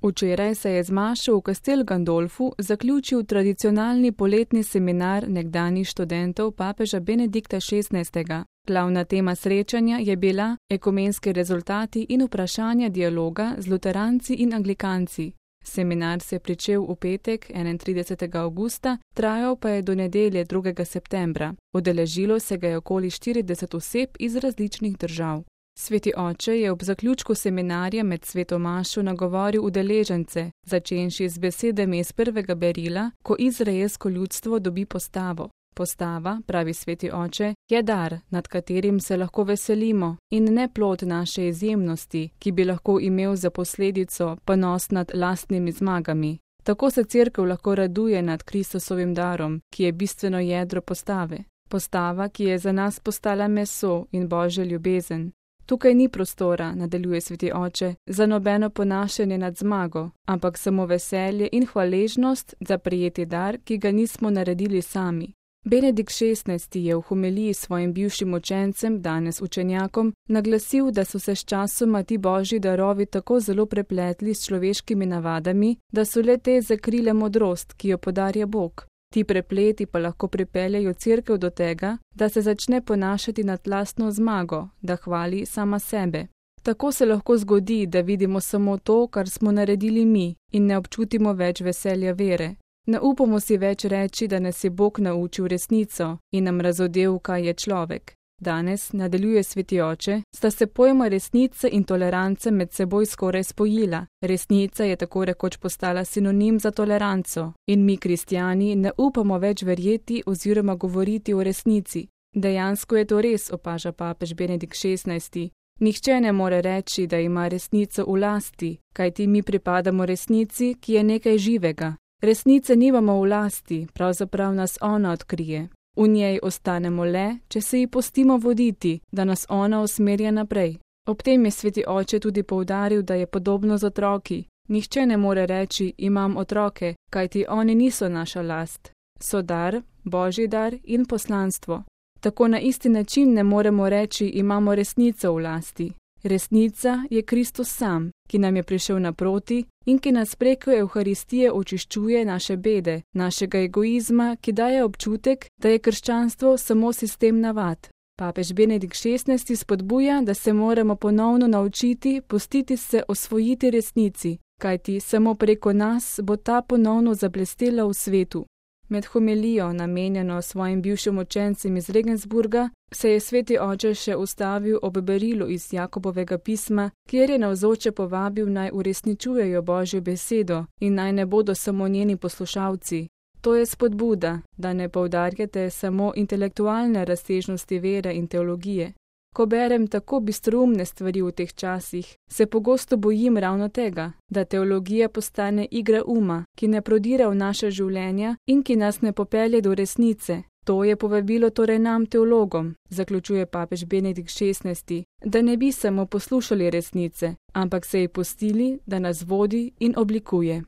Včeraj se je z mašo v Castel Gandolfu zaključil tradicionalni poletni seminar nekdanjih študentov papeža Benedikta XVI. Glavna tema srečanja je bila ekumenski rezultati in vprašanja dialoga z luteranci in anglikanci. Seminar se je pričel v petek 31. avgusta, trajal pa je do nedelje 2. septembra. Udeležilo se ga je okoli 40 oseb iz različnih držav. Sveti oče je ob zaključku seminarja med sveto mašo nagovoril udeležence, začenši z besedami iz prvega berila, ko izraelsko ljudstvo dobi postavo. Postava, pravi sveti oče, je dar, nad katerim se lahko veselimo in ne plod naše izjemnosti, ki bi lahko imel za posledico ponos nad lastnimi zmagami. Tako se cerkev lahko raduje nad Kristusovim darom, ki je bistveno jedro postave. Postava, ki je za nas postala meso in Božja ljubezen. Tukaj ni prostora, nadaljuje sveti oče, za nobeno ponašanje nad zmago, ampak samo veselje in hvaležnost za prejeti dar, ki ga nismo naredili sami. Benedikt XVI. Je v homiliji svojim bivšim učencem, danes učenjakom, naglasil, da so se s časoma ti božji darovi tako zelo prepletli s človeškimi navadami, da so le te zakrile modrost, ki jo podarja Bog. Ti prepleti pa lahko pripeljejo cerkev do tega, da se začne ponašati nad lastno zmago, da hvali sama sebe. Tako se lahko zgodi, da vidimo samo to, kar smo naredili mi, in ne občutimo več veselja vere. Ne upamo si več reči, da nas je Bog naučil resnico in nam razodel, kaj je človek. Danes, nadaljuje sveti oče, sta se pojma resnica in toleranca med seboj skoraj spojila. Resnica je tako rekoč postala sinonim za toleranco in mi, kristjani, ne upamo več verjeti oziroma govoriti o resnici. Dejansko je to res, opaža papež Benedikt XVI. Nihče ne more reči, da ima resnico v lasti, kajti mi pripadamo resnici, ki je nekaj živega. Resnice nimamo v lasti, pravzaprav nas ona odkrije. V njej ostanemo le, če se ji pustimo voditi, da nas ona usmerja naprej. Ob tem je sveti oče tudi poudaril, da je podobno z otroki. Nihče ne more reči, imam otroke, kajti oni niso naša last. So dar, božji dar in poslanstvo. Tako na isti način ne moremo reči, imamo resnico v lasti. Resnica je Kristus sam, ki nam je prišel naproti in ki nas preko Evharistije očiščuje naše bede, našega egoizma, ki daje občutek, da je krščanstvo samo sistem navad. Papež Benedikt XVI. Spodbuja, da se moramo ponovno naučiti pustiti se osvojiti resnici, kajti samo preko nas bo ta ponovno zablestela v svetu. Med homilijo, namenjeno svojim bivšim učencem iz Regensburga, se je sveti oče še ustavil ob berilu iz Jakobovega pisma, kjer je navzoče povabil naj uresničujejo Božjo besedo in naj ne bodo samo njeni poslušalci. To je spodbuda, da ne poudarjate samo intelektualne razsežnosti vere in teologije. Ko berem tako bistroumne stvari v teh časih, se pogosto bojim ravno tega, da teologija postane igra uma, ki ne prodira v naše življenja in ki nas ne popelje do resnice. To je povabilo torej nam, teologom, zaključuje papež Benedikt XVI., da ne bi samo poslušali resnice, ampak se ji pustili, da nas vodi in oblikuje.